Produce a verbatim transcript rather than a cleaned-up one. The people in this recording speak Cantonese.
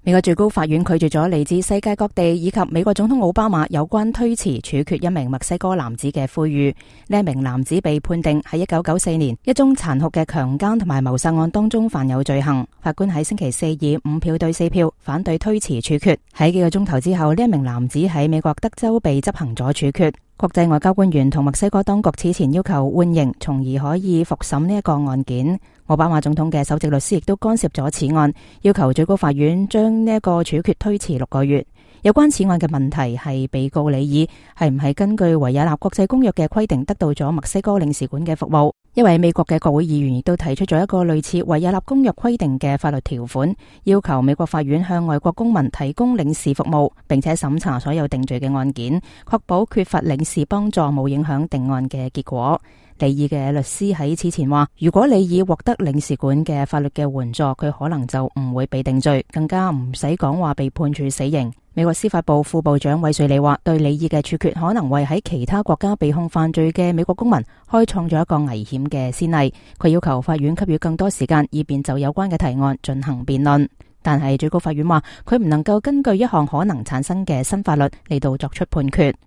美國最高法院拒絕咗嚟自世界各地以及美國總統奧巴馬有關推遲處決一名墨西哥男子嘅呼籲。呢一名男子被判定喺一九九四年一宗殘酷嘅強姦同埋謀殺案當中犯有罪行。法官喺星期四以五票對四票反對推遲處決。喺幾個鐘頭之後，呢一名男子喺美國德州被執行咗處決。國際外交官員同墨西哥當局此前要求緩刑，從而可以復審呢一個案件。奧巴馬總統嘅首席律師亦都干涉咗此案，要求最高法院將呢一個處決推遲六個月。有關此案嘅問題係被告李爾係唔係根據維也納國際公約嘅規定得到咗墨西哥領事館嘅服務。一位美國嘅國會議員亦都提出咗一個類似維也納公約規定嘅法律條款，要求美國法院向外國公民提供領事服務，並且審查所有定罪嘅案件，確保缺乏領事幫助冇影響定案嘅結果。李爾嘅律師喺此前話，如果李爾獲得領事館嘅法律嘅援助，佢可能就唔會被定罪，更加唔使講話被判處死刑。美國司法部副部長韋瑞利話，對李爾嘅處決可能為喺其他國家被控犯罪嘅美國公民開創咗一個危險嘅先例。佢要求法院給予更多時間，以便就有關嘅提案進行辯論。但係最高法院話，佢唔能夠根據一項可能產生嘅新法律嚟到作出判決。